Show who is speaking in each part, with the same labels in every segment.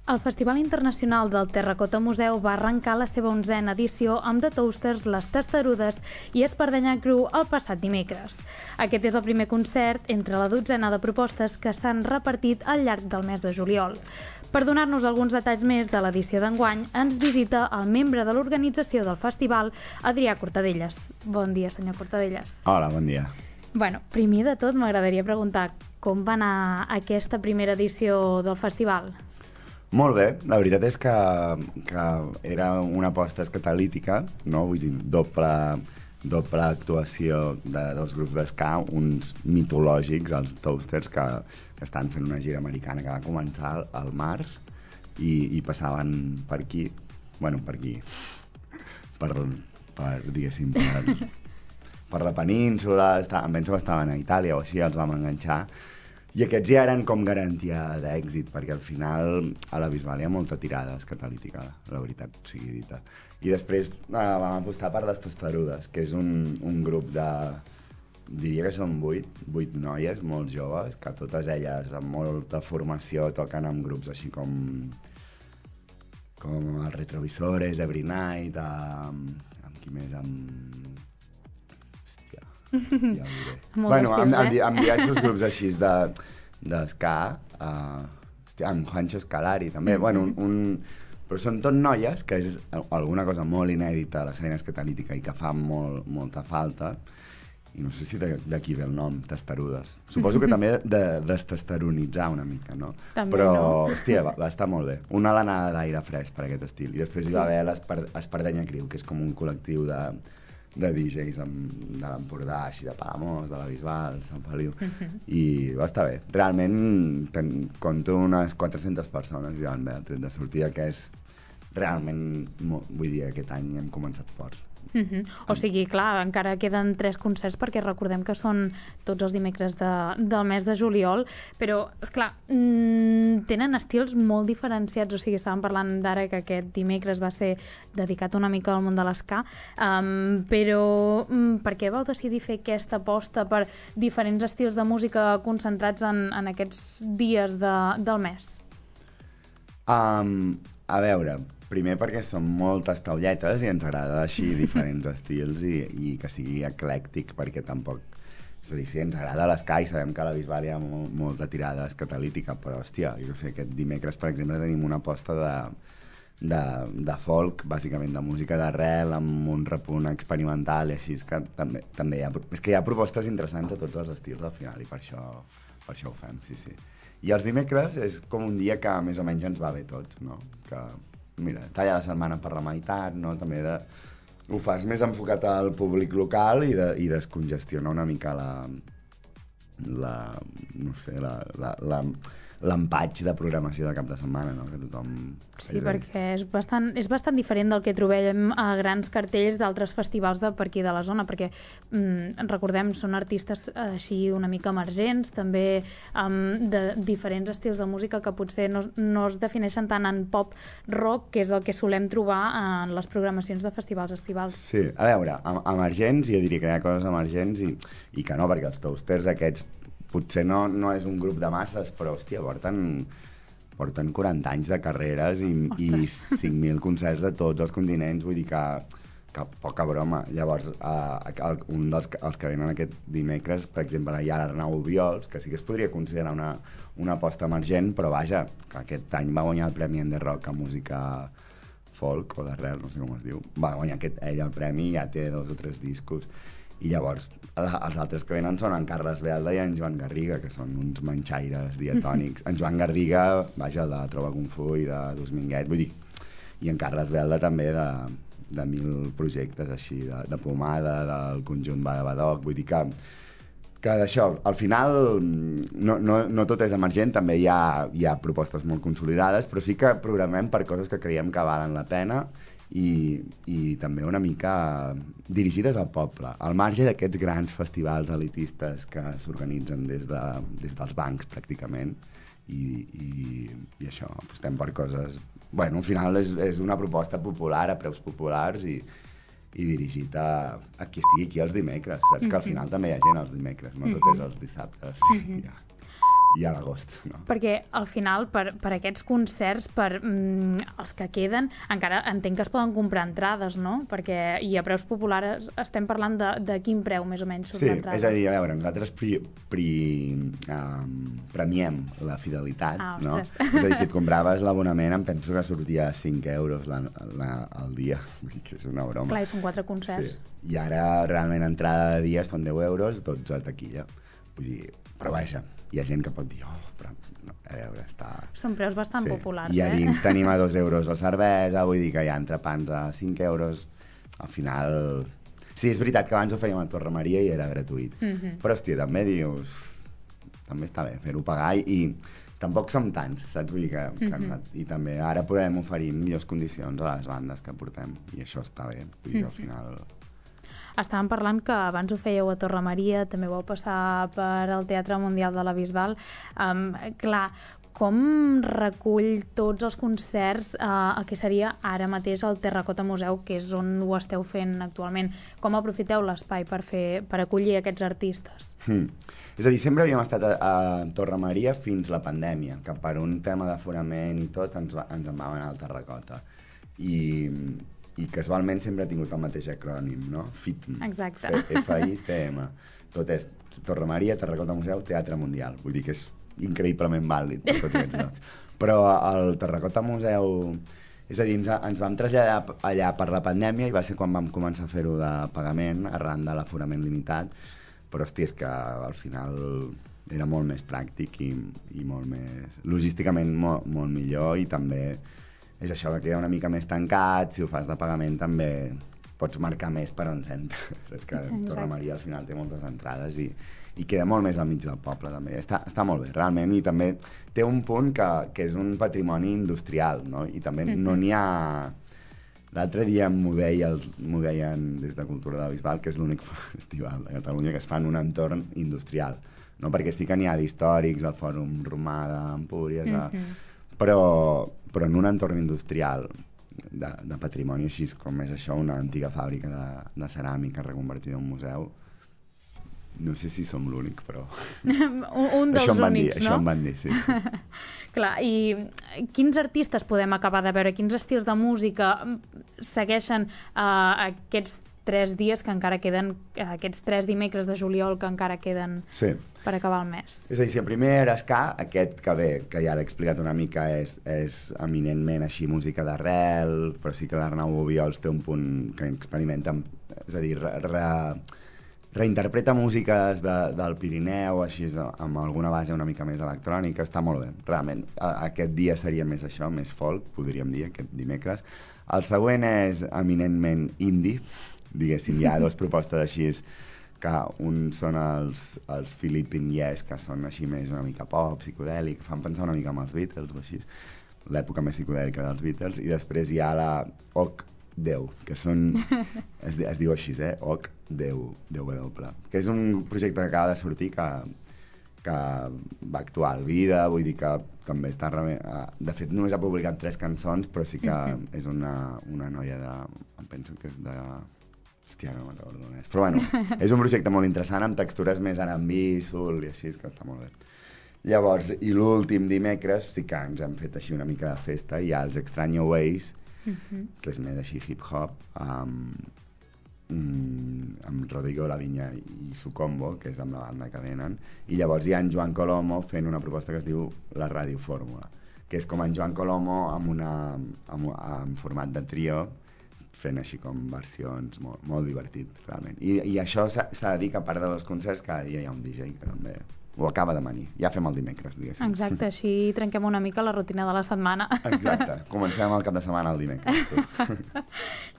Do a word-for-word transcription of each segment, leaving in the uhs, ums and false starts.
Speaker 1: El Festival Internacional del Terracota Museu va arrencar la seva onzena edició amb The Toasters, Les Testarudes i Espardenya Crew el passat dimecres. Aquest és el primer concert entre la dotzena de propostes que s'han repartit al llarg del mes de juliol. Per donar-nos alguns detalls més de l'edició d'enguany, ens visita el membre de l'organització del festival, Adrià Cortadelles. Bon dia, senyor Cortadelles.
Speaker 2: Hola, bon dia.
Speaker 1: Bueno, primer de tot m'agradaria preguntar com va anar aquesta primera edició del festival?
Speaker 2: Molt bé, la veritat és que, que era una aposta escatalítica, no? Vull dir, doble, doble actuació de dos grups d'esca, uns mitològics, els Toasters, que, que estan fent una gira americana que va començar al març i, i passaven per aquí, bueno, per aquí, per, per diguéssim, per, per la península, està, em penso que estaven a Itàlia o així, els vam enganxar. I aquests ja eren com garantia d'èxit, perquè al final a la Bisbal hi ha molta tirada escatalítica, la veritat sigui dita. I després eh, vam apostar per Les Testarudes, que és un, un grup de... diria que són vuit, vuit noies molt joves, que totes elles amb molta formació toquen en grups així com... com els Retrovisores, Every Night, amb, amb qui més, amb... Ja ho diré. Bueno,
Speaker 1: estils,
Speaker 2: amb, amb,
Speaker 1: eh?
Speaker 2: amb diversos grups així de, d'esca, uh, hòstia, amb Juancho Scalari també, mm-hmm. bueno, un, un, però són tot noies, que és alguna cosa molt inèdita a l'escena escatalítica i que fa molt, molta falta, i no sé si d'aquí ve el nom, Testarudes. Suposo que també de, destesteronitzar una mica, no?
Speaker 1: També,
Speaker 2: però,
Speaker 1: no?
Speaker 2: hòstia, va, va estar molt bé. Una alenada d'aire fresc per aquest estil. I després sí. hi va haver l'Espardenya Crew, que és com un col·lectiu de de D Js amb, de l'Empordà, així de Palamós, de la Bisbal, Sant Feliu, uh-huh. i va estar bé. Realment, ten, compto unes quatre-centes persones ja van bé el tret de sortida, que és realment, vull dir, aquest any hem començat forts.
Speaker 1: Uh-huh. O sigui, clar, encara queden tres concerts perquè recordem que són tots els dimecres de, del mes de juliol, però, esclar, mmm, tenen estils molt diferenciats, o sigui, estàvem parlant d'ara que aquest dimecres va ser dedicat una mica al món de l'esca, um, però um, per què vau decidir fer aquesta aposta per diferents estils de música concentrats en, en aquests dies de, del mes?
Speaker 2: Um, a veure... Primer perquè som moltes taulletes i ens agrada així diferents estils i, i que sigui eclèctic, perquè tampoc... És a dir, sí, ens agrada l'esca i sabem que a la Bisbal hi ha molt, molta tirada escatalítica, però, hòstia, jo sé, aquest dimecres, per exemple, tenim una aposta de, de, de folk, bàsicament de música d'arrel, amb un repunt experimental i així, és que també, també hi ha, és que hi ha propostes interessants a tots els estils al final i per això, per això ho fem, sí, sí. I els dimecres és com un dia que més o menys ens va bé tots, no? Que... Mira, talla la setmana per la meitat, no? També de... ho fas més enfocat al públic local i, de, i descongestiona una mica la... la... no sé, la... la, la l'empatx de programació de cap de setmana, no? Que tothom...
Speaker 1: Sí, perquè és bastant, és bastant diferent del que trobem a grans cartells d'altres festivals de per aquí de la zona, perquè mm, recordem, són artistes així una mica emergents, també um, de diferents estils de música que potser no, no es defineixen tant en pop rock, que és el que solem trobar en les programacions de festivals estivals.
Speaker 2: Sí, a veure, emergents, jo diria que hi ha coses emergents i, i que no, perquè els Toasters aquests potser no, no és un grup de masses, però, hòstia, porten, porten quaranta anys de carreres i, i cinc mil concerts de tots els continents, vull dir que, que poca broma. Llavors, eh, un dels els que venen aquest dimecres, per exemple, hi ha l'Arnau Obiols, que sí que es podria considerar una, una aposta emergent, però vaja, que aquest any va guanyar el Premi Ender Rock a música folk o d'arrel, no sé com es diu. Va guanyar aquest, ell el premi i ja té dos o tres discos. I llavors els altres que venen són en Carles Belda i en Joan Garriga, que són uns manxaires diatònics. En Joan Garriga, vaja, el de Trova Kung Fu i de Dosminguet, vull dir, i en Carles Belda també de, de mil projectes així, de, de Pomada, del conjunt Badabadoc, vull dir que, que d'això, al final no, no, no tot és emergent, també hi ha, hi ha propostes molt consolidades, però sí que programem per coses que creiem que valen la pena i, i també una mica dirigides al poble, al marge d'aquests grans festivals elitistes que s'organitzen des, de, des dels bancs pràcticament i, i, i això, apostem per coses... Bueno, al final és, és una proposta popular a preus populars i, i dirigit a, a qui estigui aquí els dimecres, saps? Mm-hmm. Que al final també hi ha gent els dimecres, no tot és els dissabtes. Mm-hmm. Ja. i a l'agost, no?
Speaker 1: Perquè al final, per, per aquests concerts, per mm, els que queden, encara entenc que es poden comprar entrades, no? Perquè, i a preus populars estem parlant de, de quin preu, més o menys, surt
Speaker 2: sí,
Speaker 1: l'entrada.
Speaker 2: És a dir, a veure, nosaltres pri, pri, um, premiem la fidelitat,
Speaker 1: ah,
Speaker 2: no? És a dir, si et compraves l'abonament, em penso que sortia cinc euros la, la, al dia, vull dir que és una broma.
Speaker 1: Clar, i són quatre concerts.
Speaker 2: Sí. I ara, realment, entrada de dia són deu euros, dotze a taquilla. Vull dir, però vaja, hi ha gent que pot dir, oh, però no, a veure, està...
Speaker 1: Són preus bastant
Speaker 2: sí.
Speaker 1: populars,
Speaker 2: I a
Speaker 1: eh?
Speaker 2: dins tenim a dos euros la cervesa, vull dir que hi ha entrepans a cinc euros, al final... Sí, és veritat que abans ho fèiem a Torre Maria i era gratuït,
Speaker 1: Mm-hmm.
Speaker 2: però, hòstia, també dius... També està bé fer-ho pagar i, i tampoc som tants, saps? Vull dir que, que
Speaker 1: Mm-hmm.
Speaker 2: i també ara podem oferir millors condicions a les bandes que portem i això està bé, vull dir que al
Speaker 1: Mm-hmm.
Speaker 2: final...
Speaker 1: Estàvem parlant que abans ho fèieu a Torre Maria, també vau passar per el Teatre Mundial de la Bisbal. Um, clar, com recull tots els concerts uh, el que seria ara mateix el Terracota Museu, que és on ho esteu fent actualment? Com aprofiteu l'espai per, fer, per acollir aquests artistes?
Speaker 2: Hmm. És a dir, sempre havíem estat a, a Torre Maria fins la pandèmia, que per un tema d'aforament i tot ens, va, ens en vam anar al Terracota. I... i casualment sempre ha tingut el mateix acrònim, no? F I T M.
Speaker 1: Exacte.
Speaker 2: F I T M. Tot és Torre Maria, Terracota Museu, Teatre Mundial. Vull dir que és increïblement vàlid per tots aquests llocs. Però el Terracota Museu... És a dir, ens, ens vam traslladar allà per la pandèmia i va ser quan vam començar a fer-ho de pagament arran de l'aforament limitat, però hòstia, és que al final era molt més pràctic i, i molt més... logísticament molt, molt millor i també... és això, que queda una mica més tancat, si ho fas de pagament també pots marcar més per on s'entra. Saps que Torre Maria al final té moltes entrades i, i queda molt més al mig del poble també. Està, està molt bé, realment, i també té un punt que, que és un patrimoni industrial, no? I també no n'hi ha... L'altre dia m'ho deia, m'ho deien des de Cultura de la Bisbal, que és l'únic festival de Catalunya que es fa en un entorn industrial, no? Perquè sí que n'hi ha d'històrics, al Fòrum Romà d'Empúries, a...
Speaker 1: Mm-hmm.
Speaker 2: però, però en un entorn industrial de, de patrimoni així com és això, una antiga fàbrica de, de ceràmica reconvertida en museu, no sé si som l'únic, però...
Speaker 1: un, un dels
Speaker 2: això em van
Speaker 1: únics,
Speaker 2: dir,
Speaker 1: no?
Speaker 2: Això em van dir, sí. sí.
Speaker 1: Clar, i quins artistes podem acabar de veure? Quins estils de música segueixen uh, aquests tres dies que encara queden, aquests tres dimecres de juliol que encara queden
Speaker 2: sí.
Speaker 1: per acabar el mes?
Speaker 2: És a dir, si el primer era ska, aquest que ve, que ja l'he explicat una mica, és, és eminentment així música d'arrel, però sí que l'Arnau Obiols té un punt que experimenta, amb, és a dir, re, re, reinterpreta músiques de, del Pirineu, així amb alguna base una mica més electrònica, està molt bé, realment. Aquest dia seria més això, més folk, podríem dir, aquest dimecres. El següent és eminentment indie, diguéssim, hi ha dues propostes així, que un són els, els Philippine Yes, que són així més una mica pop, psicodèlic, fan pensar una mica en els Beatles o així, l'època més psicodèlica dels Beatles, i després hi ha la Oc Déu, que són, es, es diu així, eh? Oc Déu, Déu W, que és un projecte que acaba de sortir que, que va actuar al Vida, vull dir que també està... De fet, només ha publicat tres cançons, però sí que mm-hmm. és una, una noia de... Em penso que és de... Hòstia, no me'n recordo on és. Però bueno, és un projecte molt interessant, amb textures més R and B, soul i així, que està molt bé. Llavors, i l'últim dimecres sí que ens hem fet així una mica de festa, hi ha els Extraño Ways, mm-hmm. que és més així hip-hop, amb, amb Rodrigo Laviña i Sucombo, que és amb la banda que venen, i llavors hi ha en Joan Colomo fent una proposta que es diu la Ràdio Fórmula, que és com en Joan Colomo amb, una, amb, amb format de trio, fent així com versions molt, molt divertit, realment. I, i això s'ha de dir que a part dels concerts cada dia hi ha un D J que també ho acaba de venir. Ja fem el dimecres, diguéssim.
Speaker 1: Exacte, així trenquem una mica la rutina de la setmana.
Speaker 2: Exacte, comencem el cap de setmana el dimecres.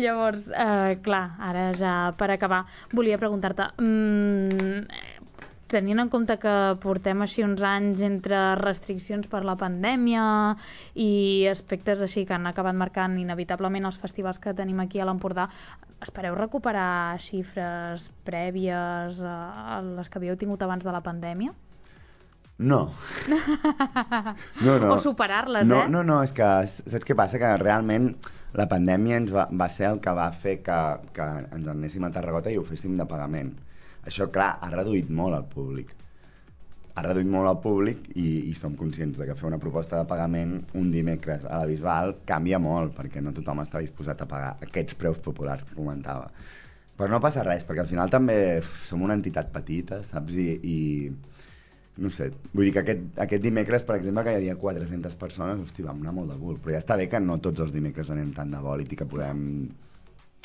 Speaker 1: Llavors, eh, clar, ara ja per acabar, volia preguntar-te... Mm, tenint en compte que portem així uns anys entre restriccions per la pandèmia i aspectes així que han acabat marcant inevitablement els festivals que tenim aquí a l'Empordà, espereu recuperar xifres prèvies a les que havíeu tingut abans de la pandèmia?
Speaker 2: No. no, no.
Speaker 1: O superar-les,
Speaker 2: no,
Speaker 1: eh?
Speaker 2: No, no, és que saps què passa? Que realment la pandèmia ens va, va ser el que va fer que, que ens anéssim a Tarragona i ho féssim de pagament. Això, clar, ha reduït molt el públic. ha reduït molt el públic i, i som conscients de que fer una proposta de pagament un dimecres a la Bisbal canvia molt, perquè no tothom està disposat a pagar aquests preus populars que comentava. Però no passa res, perquè al final també uf, som una entitat petita, saps? I, i no sé, vull dir que aquest, aquest dimecres, per exemple, que hi havia quatre-centes persones, hosti, vam anar molt de cul, però ja està bé que no tots els dimecres anem tant de bòlit i que podem...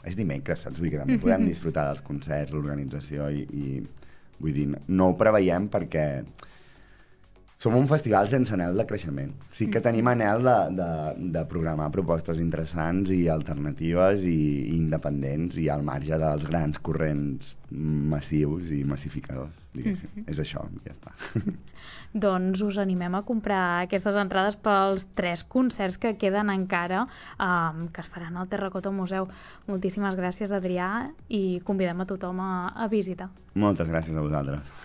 Speaker 2: És dimecres, saps? Vull dir que també podem disfrutar dels concerts, l'organització i, i... Vull dir, no ho preveiem perquè som un festival sense anel de creixement. Sí que tenim anel de, de, de programar propostes interessants i alternatives i, i independents i al marge dels grans corrents massius i massificadors, diguéssim. Mm-hmm. És això, ja està.
Speaker 1: Doncs us animem a comprar aquestes entrades pels tres concerts que queden encara, um, que es faran al Terracota Museu. Moltíssimes gràcies, Adrià, i convidem a tothom a, a visitar.
Speaker 2: Moltes gràcies a vosaltres.